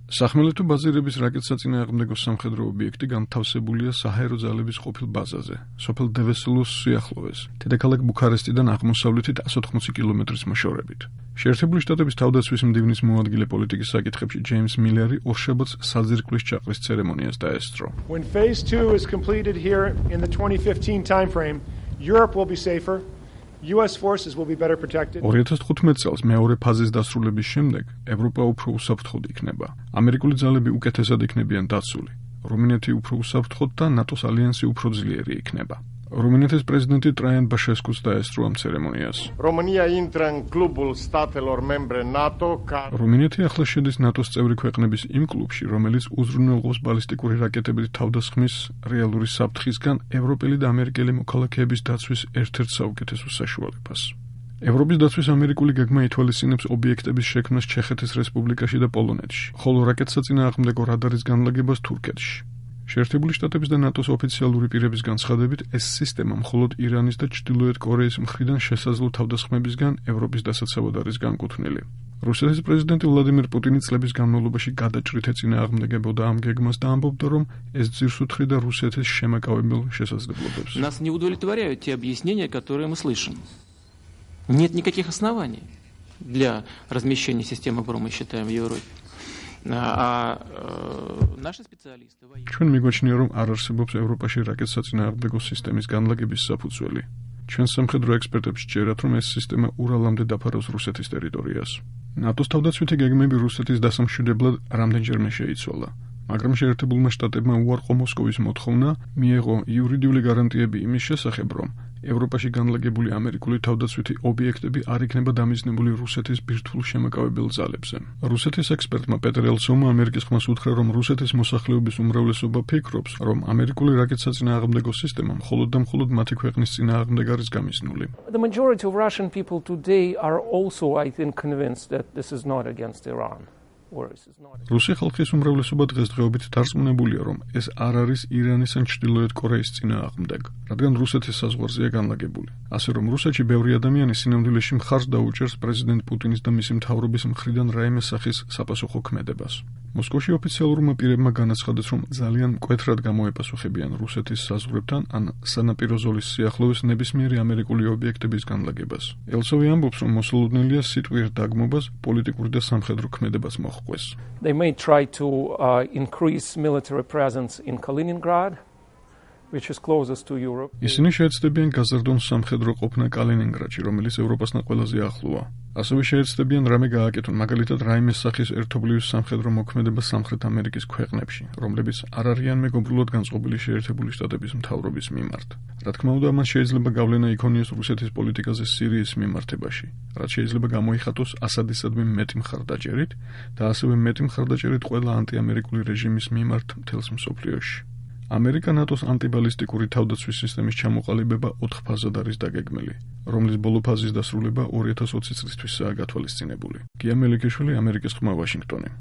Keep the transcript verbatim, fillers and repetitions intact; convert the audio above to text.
სახმელეთო ბაზირების რაკეტსაწინააღმდეგო სამხედრო ობიექტი განთავსებულია საჰაერო ძალების ყოფილ ბაზაზე, სოფელ დევესელოს სიახლოვეს, დედაქალაქ ბუქარესტიდან აღმოსავლეთით εκατს ოთხმოცი კილომეტრის მოშორებით. შეერთებული შტატების თავდაცვის მდივნის მოადგილე პოლიტიკის საკითხებში ჯეიმს მილერი ორშაბათს საძირკვლის ჩაყრის ცერემონიას დაესწრო. When phase two is completed here in the twenty fifteen timeframe, Europe will be safer. U S forces will be better protected. ორი ათას თხუთმეტ წელს მეორე ფაზის დასრულების შემდეგ ევროპა უფრო უსაფრთხოდ იქნება. ამერიკული ძალები უკეთესად იქნებიან დაცული. რუმინეთი უფრო უსაფრთხოდ და ნატოს ალიანსი უფრო ძლიერი იქნება. რუმინეთის პრეზიდენტი ტრაიან ბაშესკუს დაესწრო ამ ცერემონიას. România intră în clubul statelor membre NATO care რუმინეთი ახლა შედის ნატოს წევრი ქვეყნების იმ კლუბში, რომელიც უზრუნველყოფს ბალისტიკური რაკეტების თავდასხმის რეალური საფრთხისგან ევროპელი და ამერიკელი მოქალაქეების დაცვის ერთ-ერთ საუკეთესო საშუალებას. ევროპის დაცვის ამერიკული გეგმა ითვალისწინებს ობიექტების შექმნას ჩეხეთის რესპუბლიკაში და პოლონეთში, ხოლო რაკეტსაწინააღმდეგო რადარის განლაგებას თურქეთში. შეერთებული შტატების და ნატოს ოფიციალური პირების განცხადებით, ეს სისტემა მხოლოდ ირანის და ჩრდილოეთ კორეის მხრიდან შესაძლო თავდასხმებისგან ევროპის დასაცავად არის განკუთვნილი. რუსეთის პრეზიდენტი ვლადიმირ პუტინი წლების განმავლობაში გადაჭრით ეწინააღმდეგებოდა ამ გეგმას და ამბობდა, რომ ეს ძირს უთხრიდა რუსეთის შემაკავებელ შესაძლებლობებს. Нас не удовлетворяют те объяснения, которые мы слышим. Нет никаких оснований для размещения системы ПРО, мы считаем, в Европе. А наши специалисты ჩვენ მიგვაჩნია, რომ არ არსებობს ევროპაში რაკეტსაწინააღმდეგო სისტემის განლაგების საფუძველი. ჩვენ სამხედრო ექსპერტებს სჯერათ, რომ ეს სისტემა ურალამდე დაფარავს რუსეთის ტერიტორიას. ნატოს თავდაცვითი გეგმები რუსეთის დასამშვიდებლად რამდენჯერმე შეიცვალა. მაგრამ შეერთებულმა შტატებმა უარყო მოსკოვის მოთხოვნა, მიეღო იურიდიული გარანტიები იმის შესახებ, რომ ევროპაში განლაგებული ამერიკული თავდაცვითი ობიექტები არ იქნება დამიზნებული რუსეთის ბირთვულ შემაკავებელ ძალებზე. რუსეთის ექსპერტმა პეტერ ელცოვმა ამერიკის ხმას უთხრა, რომ რუსეთის მოსახლეობის უმრავლესობა ფიქრობს, რომ ამერიკული რაკეტსაწინააღმდეგო სისტემა მხოლოდ და მხოლოდ მათი ქვეყნის წინააღმდეგ არის გამიზნული. The majority of Russian people today are also, I think, convinced that this is not against Iran. რუსი ხალხის უმრავლესობა დღესდღეობით დარწმუნებულია, რომ ეს არ არის ირანის ან ჩრდილოეთ კორეის წინააღმდეგ, რადგან რუსეთის საზღვარზეა განლაგებული. ასე რომ რუსეთში ბევრი ადამიანი სინამდვილეში მხარს დაუჭერს პრეზიდენტ პუტინის და მისი მთავრობის მხრიდან რაიმე სახის საპასუხო ქმედებას. მოსკოვში ოფიციალურმა პირებმა განაცხადეს, რომ ძალიან მკვეთრად გამოეპასუხებიან რუსეთის საზღვრებთან ან სანაპირო ზოლის სიახლოვეს ნებისმიერი ამერიკული ობიექტების განლაგებას. ელცოვი ამბობს, რომ მოსალოდნელია სიტყვიერ დაგმობას, პოლიტიკური და სამხედრო ქმედებას მოჰყვეს. They may try to uh, increase military presence in Kaliningrad, which is closest to Europe. ისინი შეეცდებიან გაზარდონ სამხედრო ყოფნა კალინინგრადში, რომელიც ევროპასთან ყველაზე ახლოა. ასევე შეეცდებიან რამე გააკეთონ, მაგალითად რაიმე სახის ერთობლივი სამხედრო მოქმედება სამხრეთ ამერიკის ქვეყნებში, რომლებიც არ არიან მეგობრულად განწყობილი შეერთებული შტატების მთავრობის მიმართ. რა თქმა უნდა, მას შეიძლება გავლენა იქონიოს რუსეთის პოლიტიკაზე სირიის მიმართებაში, რაც შეიძლება გამოიხატოს ასადისადმი მეტი მხარდაჭერით და ასევე მეტი მხარდაჭერით ყველა ანტიამერიკული რეჟიმის მიმართ მთელს მსოფლიოში. ამერიკა ნატოს ანტიბალისტიკური თავდაცვის სისტემის ჩამოყალიბება ოთხ ფაზად არის დაგეგმილი, რომლის ბოლო ფაზის დასრულება ორი ათას ოცი წლისთვისაა გათვალისწინებული. გია მელიქიშვილი, ამერიკის ხმა, ვაშინგტონი.